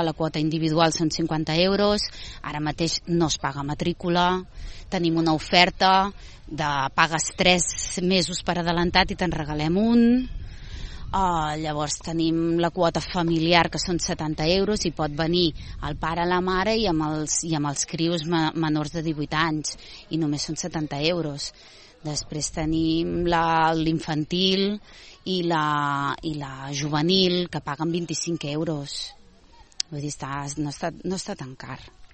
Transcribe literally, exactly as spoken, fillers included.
La quota individual són cinquanta euros, ara mateix no es paga matrícula, tenim una oferta de pagues tres mesos per adelantat i te'n regalem un. Uh, llavors tenim la quota familiar, que són setanta euros, i pot venir el pare, la mare i amb els, i amb els crios ma, menors de divuit anys, i només són setanta euros. Després tenim l'infantil i la, i la juvenil, que paguen vint-i-cinc euros. Vull dir, està, no, està, no està tan car.